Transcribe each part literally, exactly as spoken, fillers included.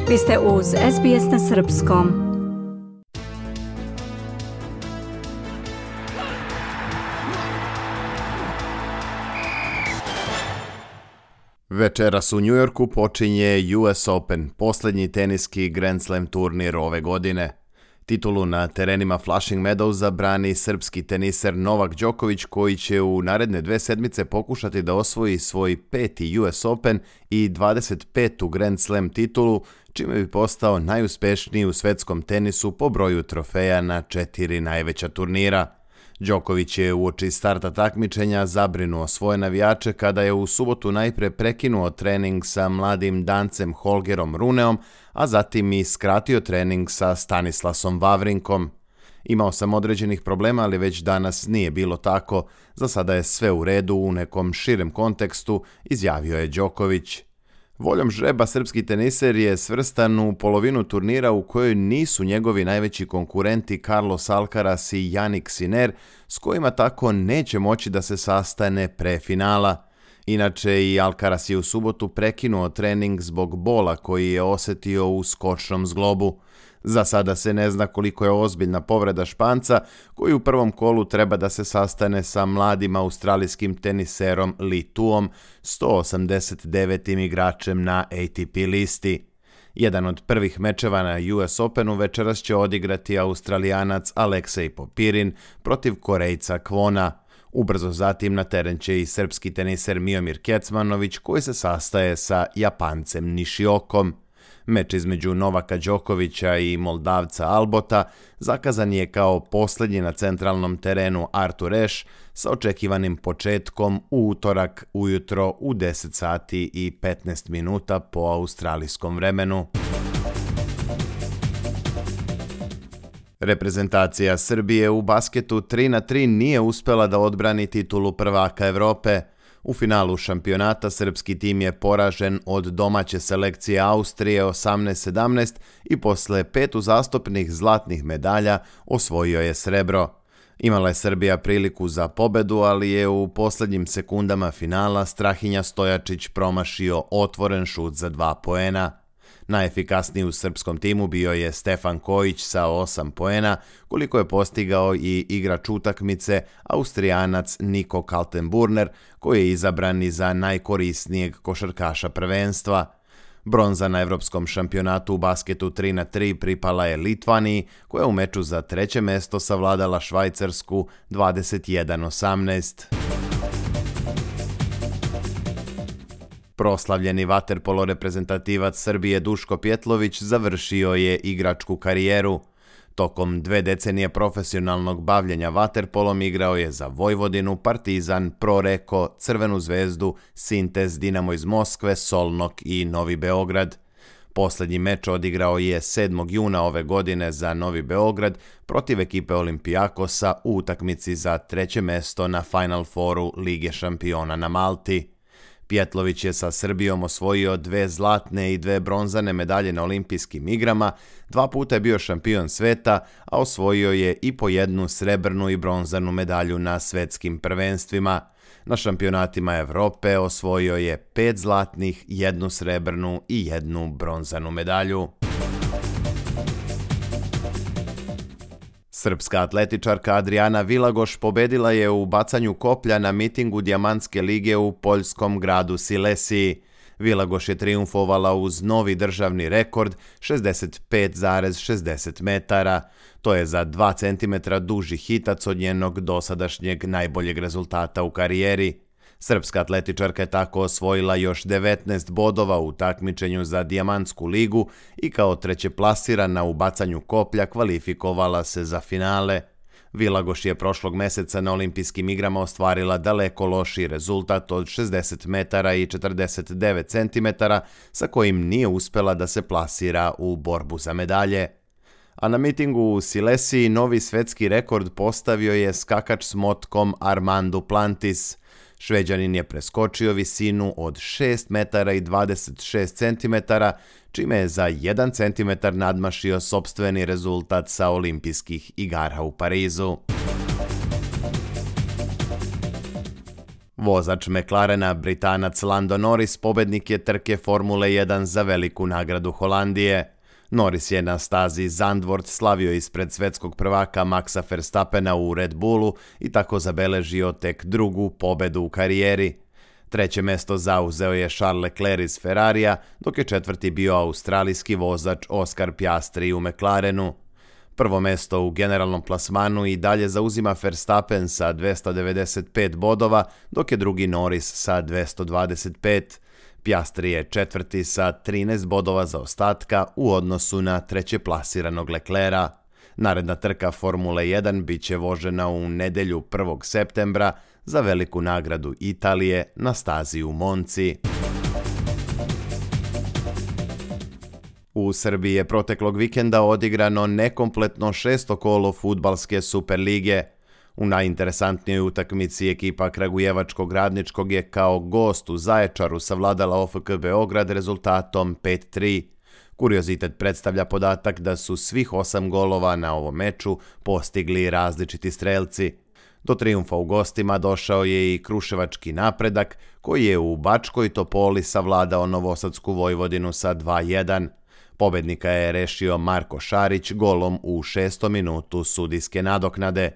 Vi ste uz S B S na srpskom. Večeras u New Yorku počinje U S Open, posljednji teniski Grand Slam turnir ove godine. Titulu na terenima Flushing Meadowsa brani srpski teniser Novak Đoković, koji će u naredne dve sedmice pokušati da osvoji svoj peti U S Open i dvadeset petu Grand Slam titulu, čime bi postao najuspešniji u svetskom tenisu po broju trofeja na četiri najveća turnira. Đoković je uoči starta takmičenja zabrinuo svoje navijače kada je u subotu najpre prekinuo trening sa mladim Dancem Holgerom Runeom, a zatim i skratio trening sa Stanislasom Wawrinkom. Imao sam određenih problema, ali već danas nije bilo tako. Za sada je sve u redu u nekom širem kontekstu, izjavio je Đoković. Voljom žreba srpski teniser je svrstan u polovinu turnira u kojoj nisu njegovi najveći konkurenti Carlos Alcaraz i Jannik Sinner, s kojima tako neće moći da se sastane pre finala. Inače, i Alcaraz je u subotu prekinuo trening zbog bola koji je osjetio u skočnom zglobu. Za sada se ne zna koliko je ozbiljna povreda Španca, koji u prvom kolu treba da se sastane sa mladim australijskim teniserom Li Tuom, sto osamdeset devetim igračem na A T P listi. Jedan od prvih mečeva na U S Openu večeras će odigrati Australijanac Aleksej Popirin protiv Korejca Kwona. Ubrzo zatim na teren će i srpski teniser Miomir Kecmanović, koji se sastaje sa Japancem Nishiokom. Meč između Novaka Đokovića i Moldavca Albota zakazan je kao posljednji na centralnom terenu Arthur Ashe sa očekivanim početkom u utorak ujutro u deset sati i petnaest minuta po australijskom vremenu. Reprezentacija Srbije u basketu tri na tri nije uspela da odbrani titulu prvaka Evrope. U finalu šampionata srpski tim je poražen od domaće selekcije Austrije osamnaest sedamnaest i posle pet uzastopnih zlatnih medalja osvojio je srebro. Imala je Srbija priliku za pobedu, ali je u posljednjim sekundama finala Strahinja Stojačić promašio otvoren šut za dva poena. Najefikasniji u srpskom timu bio je Stefan Kojić sa osam poena, koliko je postigao i igrač utakmice Austrijanac Niko Kaltenburner, koji je izabran i za najkorisnijeg košarkaša prvenstva. Bronza na evropskom šampionatu u basketu tri na tri pripala je Litvaniji, koja je u meču za treće mesto savladala Švajcarsku dvadeset jedan osamnaest. Proslavljeni vaterpolo reprezentativac Srbije Duško Pjetlović završio je igračku karijeru. Tokom dve decenije profesionalnog bavljenja vaterpolom igrao je za Vojvodinu, Partizan, Proreko, Crvenu zvezdu, Sintez, Dinamo iz Moskve, Solnok i Novi Beograd. Posljednji meč odigrao je sedmog juna ove godine za Novi Beograd protiv ekipe Olimpijakosa u utakmici za treće mesto na Final Fouru Lige šampiona na Malti. Pjetlović je sa Srbijom osvojio dve zlatne i dve bronzane medalje na olimpijskim igrama, dva puta je bio šampion sveta, a osvojio je i po jednu srebrnu i bronzanu medalju na svetskim prvenstvima. Na šampionatima Evrope osvojio je pet zlatnih, jednu srebrnu i jednu bronzanu medalju. Srpska atletičarka Adriana Vilagoš pobedila je u bacanju koplja na mitingu Dijamantske lige u poljskom gradu Silesiji. Vilagoš je triumfovala uz novi državni rekord šezdeset pet zarez šezdeset metara. To je za dva centimetra duži hitac od njenog dosadašnjeg najboljeg rezultata u karijeri. Srpska atletičarka je tako osvojila još devetnaest bodova u takmičenju za Dijamantsku ligu i kao treće plasirana u bacanju koplja kvalifikovala se za finale. Vilagoš je prošlog meseca na olimpijskim igrama ostvarila daleko lošiji rezultat od šezdeset metara i četrdeset devet centimetara, sa kojim nije uspela da se plasira u borbu za medalje. A na mitingu u Silesiji novi svetski rekord postavio je skakač s motkom Armand Duplantis. Šveđanin je preskočio visinu od šest metara i dvadeset šest centimetara, čime je za jedan centimetar nadmašio sopstveni rezultat sa olimpijskih igara u Parizu. Vozač McLarena, Britanac Lando Norris, pobednik je trke Formule jedan za veliku nagradu Holandije. Norris je na stazi Zandvoort slavio ispred svetskog prvaka Maxa Verstappena u Red Bullu i tako zabeležio tek drugu pobedu u karijeri. Treće mesto zauzeo je Charles Leclerc iz Ferrarija, dok je četvrti bio australijski vozač Oscar Piastri u McLarenu. Prvo mesto u generalnom plasmanu i dalje zauzima Verstappen sa dvesta devedeset pet bodova, dok je drugi Norris sa dvesta dvadeset pet. Piastri je četvrti sa trinaest bodova zaostatka u odnosu na treće plasiranog Leclerca. Naredna trka Formule jedan bit će vožena u nedelju prvog septembra za veliku nagradu Italije na stazi u Monci. U Srbiji je proteklog vikenda odigrano nekompletno šesto kolo fudbalske Superlige. U najinteresantnijoj utakmici ekipa Kragujevačkog Radničkog je kao gost u Zaječaru savladala O F K Beograd rezultatom pet tri. Kuriozitet predstavlja podatak da su svih osam golova na ovom meču postigli različiti strelci. Do trijumfa u gostima došao je i Kruševački Napredak, koji je u Bačkoj Topoli savladao Novosadsku Vojvodinu sa dva jedan. Pobednika je rešio Marko Šarić golom u šestom minutu sudijske nadoknade.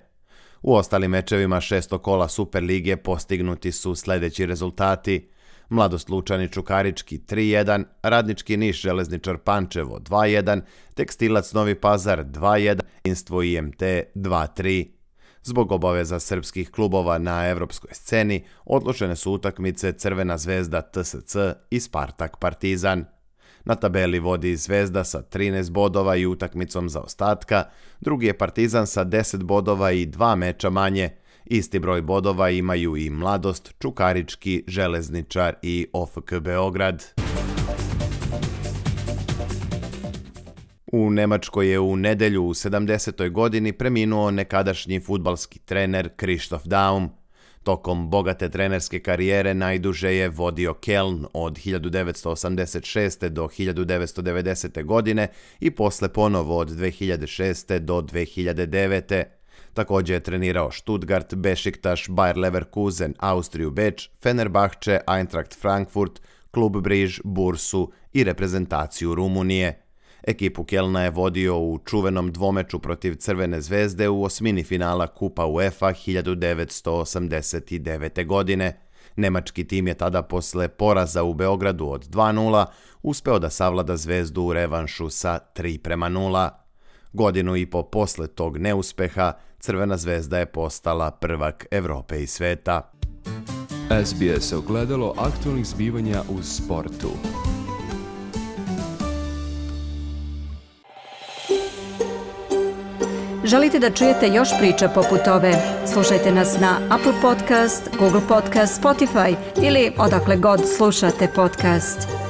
U ostalim mečevima šesto kola Superlige postignuti su sljedeći rezultati: Mladost Lučani Čukarički tri jedan, Radnički Niš Železničar Pančevo dva jedan, Tekstilac Novi Pazar dva jedan, Jedinstvo I M T dva tri. Zbog obaveza srpskih klubova na evropskoj sceni odložene su utakmice Crvena Zvezda T S C i Spartak Partizan. Na tabeli vodi Zvezda sa trinaest bodova i utakmicom zaostatka, drugi je Partizan sa deset bodova i dva meča manje. Isti broj bodova imaju i Mladost, Čukarički, Železničar i O F K Beograd. U Nemačkoj je u nedelju u sedamdesetoj godini preminuo nekadašnji fudbalski trener Christoph Daum. Tokom bogate trenerske karijere najduže je vodio Keln od hiljadu devetsto osamdeset šeste. do hiljadu devetsto devedesete. godine i posle ponovo od dve hiljade šeste. do dve hiljade devete. Također je trenirao Stuttgart, Beşiktaş, Bayer Leverkusen, Austriju Beč, Fenerbahče, Eintracht Frankfurt, Klub Briž, Bursu i reprezentaciju Rumunije. Ekipu Kelna je vodio u čuvenom dvomeču protiv Crvene zvezde u osmini finala Kupa UEFA hiljadu devetsto osamdeset devete. godine. Nemački tim je tada posle poraza u Beogradu od dva nula uspeo da savlada Zvezdu u revanšu sa tri prema nula. Godinu i po posle tog neuspeha, Crvena zvezda je postala prvak Evrope i sveta. S B S ogledalo aktualnih zbivanja u sportu. Želite da čujete još priča poput ove? Slušajte nas na Apple Podcast, Google Podcast, Spotify ili odakle god slušate podcast.